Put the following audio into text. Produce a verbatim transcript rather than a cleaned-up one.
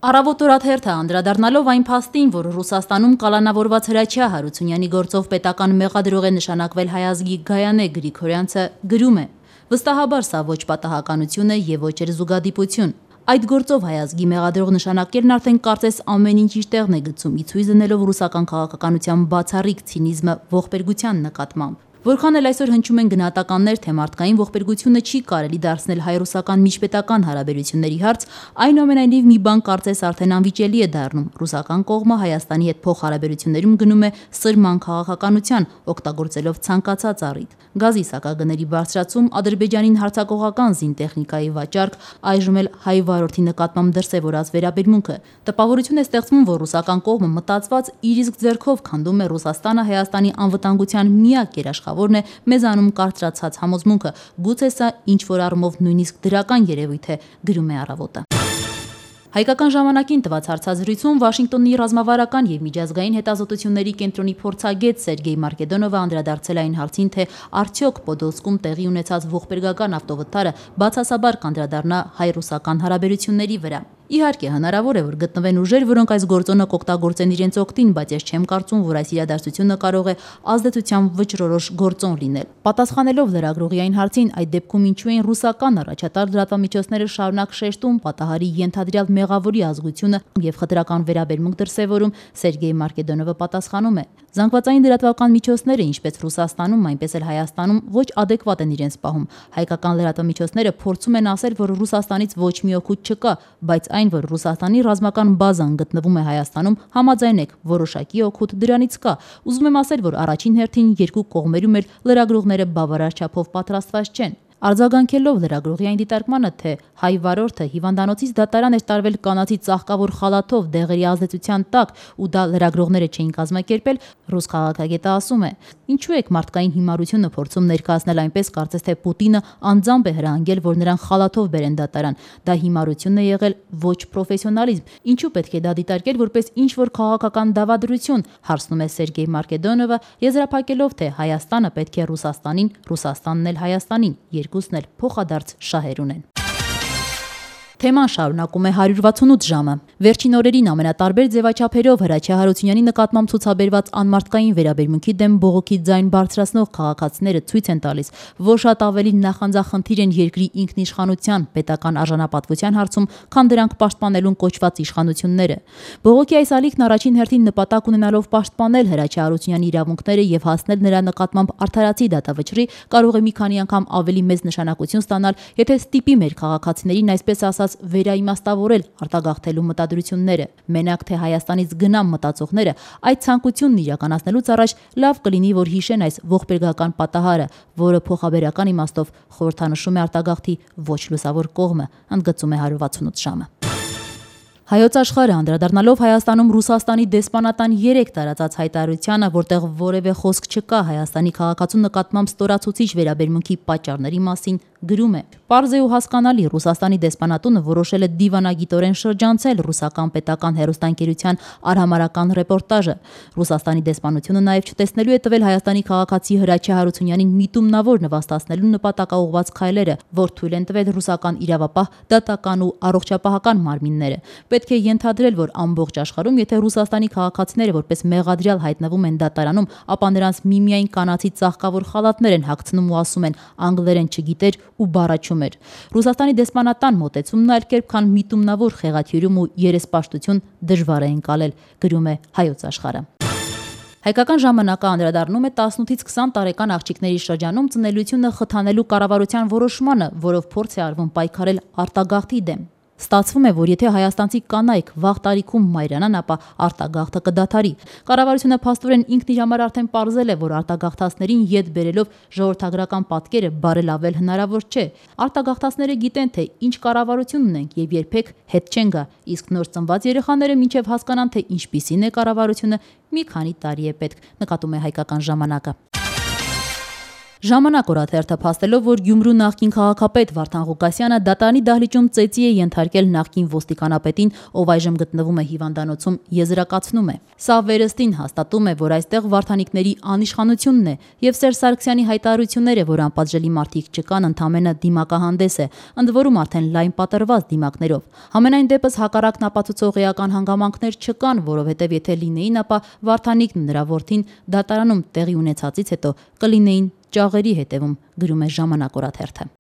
Առավոտ օրաթերթը անդրադառնալով այն փաստին, որ Ռուսաստանում կալանավորված Հրաչյա Հարությունյանի գործով պետական մեղադրող է նշանակվել հայազգի Գայանե Գրիգորյանցը, գրում է. վստահաբար սա ոչ պատահականություն է եւ ոչ էլ զուգադիպություն։ Այդ գործով հայազգի մեղադրող նշանակելն արդեն կարծես ամեն ինչ իր տեղն է գցում, ի ցույց դնելով ռուսական քաղաքականության բացառիկ ցինիզմը ողբերգության նկատմամբ։ Որքան էլ այսօր հնչում են գնահատականներ, թե մարդկային ողբերգությունը չի կարելի դարձնել հայ-ռուսական միջպետական հարաբերությունների հարց, այնուամենայնիվ մի բան կարծես արդեն անվիճելի է դառնում։ Ռուսական կողմը Հայաստանի հետ փոխհարաբերություններում գնում է սրման քաղաքականության, օգտագործելով ցանկացած առիթ։ Գազի սակագների բարձրացում, Ադրբեջանին հարձակողական զինտեխնիկայի վաճառք, այժմ էլ հայ վարորդի նկատմամբ դրսևորած վերաբերմունքը։ Տպավորություն է ստեղծվում, որ ռուսական կողմը մտածված իր իսկ ձեռքով քանդում է Ռուսաստանը Հայաստանի անվտանգության միակ երաշխավորն է մեզանում կարծրացած համոզմունքը, գուցե սա ինչ-որ առումով նույնիսկ դրական երևույթ է, գրում է Առավոտը։ Հայկական ժամանակին տված հարցազրույցում Վաշինգտոնի ռազմավարական եւ միջազգային հետազոտությունների կենտրոնի փորձագետ Սերգեյ Մարկեդոնովը անդրադարձել այն հարցին, թե արդյոք Պոդոլսկում տեղի ունեցած ողբերգական ավտովթարը բացասաբար կանդրադառնա հայ-ռուսական հարաբերությունների վրա։ Իհարկե, հնարավոր է, որ գտնվեն ուժեր, որոնք այս գործոնը կօգտագործեն իրենց օգտին, բայց ես չեմ կարծում, որ այս իրադարձությունը կարող է ազդեցությամբ վճռորոշ գործոն լինել։ Պատասխանելով լրագրողի այն հարցին, այդ դեպքում ինչու են ռուսական առաջատար լրատվամիջոցները շարունակ շեշտում պատահարի ենթադրյալ մեղավորի ազգությունը եւ խտրական վերաբերմունք դրսեւորում, Սերգեյ Մարկեդոնովը պատասխանում է. Զանգվածային լրատվական միջոցները, ինչպես Ռուսաստանում, այնպես էլ Հայաստանում, ոչ ադեկվատ են իրենց պահում։ Հայկական լրատվամիջոցները փորձում են ասել, որ Ռուսաստանից ոչ մի օգուտ չկա, բայց այն, որ Ռուսաստանի ռազմական բազան գտնվում է Հայաստանում, համաձայնեք, որոշակի օգուտ դրանից կա։ Ուզում եմ ասել, որ առաջին հերթին երկու կողմերում էլ լրագրողները բավարար չափով պատրաստված չեն։ Արձագանքելով լրագրողի այն դիտարկմանը, թե հայ վարորդը հիվանդանոցից դատարան էր տարվել կանացի ծաղկավոր խալաթով դեղերի ազդեցության տակ ու դա լրագրողները չէին կազմակերպել, ռուս քաղաքագետը ասում է. ինչու եք մարդկային հիմարությունը փորձում ներկայացնել այնպես, կարծես թե Պուտինը անձամբ է հրահանգել, որ նրան խալաթով բերեն դատարան։ Դա հիմարություն է եղել, ոչ պրոֆեսիոնալիզմ։ Ինչու պետք է դա դիտարկել որպես ինչ-որ քաղաքական դավադրություն, հարցնում է Սերգեյ Մարկեդոնովը, եզրափակելով, թե Հայաստանը պետք է Ռուսաստանին, Ռուսաստանն էլ Հայաստանին, երկուսն էլ փոխադարձ շահեր ունեն։ Թեման շարունակում է հարյուր վաթսունութ ժամը։ Վերջին օրերին ամենատարբեր ձևաչափերով Հրաչյա Հարությունյանի նկատմամբ ցուցաբերված անմարդկային վերաբերմունքի դեմ բողոքի ձայն բարձրացնող քաղաքացիները ցույց են տալիս, որ շատ ավելի նախանձախնդիր են երկրի ինքնիշխանության, պետական արժանապատվության հարցում, քան դրանք պաշտպանելուն կոչված իշխանությունները։ Բողոքի այս ալիքն առաջին հերթին նպատակ ունենալով պաշտպանել Հրաչյա Հարությունյանի իրավունքները եւ հասնել նրա նկատմամբ արդարացի դատավճռի, կարող է մի քանի անգամ ավելի մեծ նշանակություն ստանալ, եթե ստիպի մեր քաղաքացիներին այսպես ասած վերաիմաստավորել արտագաղթելու մտադրությունները։ Մենակ թե Հայաստանից գնամ մտածողները այդ ցանկությունն իրականացնելուց առաջ լավ կլինի, որ հիշեն այս ողբերգական պատահարը, որը փոխաբերական իմաստով խորհրդանշում է արտագաղթի ոչ լուսավոր կողմը, ընդգծում է հարյուր վաթսունութ ժամը։ Հայոց աշխարհը անդրադառնալով Հայաստանում Ռուսաստանի դեսպանատան երեք տարածած հայտարարությանը, որտեղ որևէ խոսք չկա Հայաստանի քաղաքացու նկատմամբ ստորացուցիչ վերաբերմունքի պատճառների մասին, գրում է. Պարզ է ու հասկանալի, Ռուսաստանի դեսպանատունը որոշել է դիվանագիտորեն շրջանցել ռուսական պետական հեռուստաընկերության արհամարհական ռեպորտաժը։ Ռուսաստանի դեսպանությունը նաև չտեսնելու է տվել Հայաստանի քաղաքացի Հրաչյա Հարությունյանին միտումնավոր նվաստացնելու նպատակաուղղված քայլերը, որ թույլ են տվել ռուսական իրավապահ, դատական ու առողջապահական մարմինները։ Պետք է ենթադրել, որ ամբողջ աշխարհում, եթե Ռուսաստանի քաղաքացիները որպես մեղադրյալ հայտնվում են դատարանում, ապա նրանց միմիայն կանացի ծաղկավոր խալաթներ են հագցնում ու ասում են անգլերեն չգիտեր ու բառաչում էր։ Ռուսաստանի դեսպանատան մոտեցումն այլ կերպ, քան միտումնավոր խեղաթյուրում ու երեսպաշտություն դժվար է ընկալել, գրում է Հայոց աշխարհը։ Հայկական ժամանակը անդրադառնում է տասնութից քսան տարեկան աղջիկների շրջանում ծնելիությունը խթանելու կառավարության որոշմանը, որով փորձ է արվում պայքարել արտագաղթի դեմ։ Ստացվում է, որ եթե հայաստանցի կանայք վաղ տարիքում մայրանան, ապա արտագաղթը կդադարի։ Կառավարությունը փաստորեն ինքն իր համար արդեն պարզել է, որ արտագաղթածներին յետ բերելով ժողովրդագրական պատկերը բարելավել հնարավոր չէ։ Արտագաղթածները գիտեն, թե ինչ կառավարություն ունենք եւ երբեք հետ չեն գա, իսկ նոր ծնված երեխաները մինչեւ հասկանան, թե ինչպիսին է կառավարությունը, մի քանի տարի է պետք, նկատում է Հայկական ժամանակը։ Ժամանակ օրաթերթը փաստելով, որ Գյումրու նախկին քաղաքապետ Վարդան Ղուկասյանը դատարանի դահլիճում ծեծի է ենթարկել նախկին ոստիկանապետին, ով այժմ գտնվում է հիվանդանոցում, եզրակացնում է. Սա վերստին հաստատում է, որ այստեղ վարդանիկների անիշխանությունն է, եւ Սերժ Սարգսյանի հայտարարությունները, որ անպատժելի մարդիկ չկան, ընդամենը դիմակահանդես է, ընդ որում արդեն լայն պատրված դիմակներով։ Համենայն դեպս հակառակն ապացուցող էական հանգամանքներ չկան, որովհետև եթե լինեին, ապա Վարդանիկն ու նրա որդին դատարանում տեղի ունեցածից հետո կլինեին ճաղերի հետևում, գրում է Ժամանակ օրաթերթը։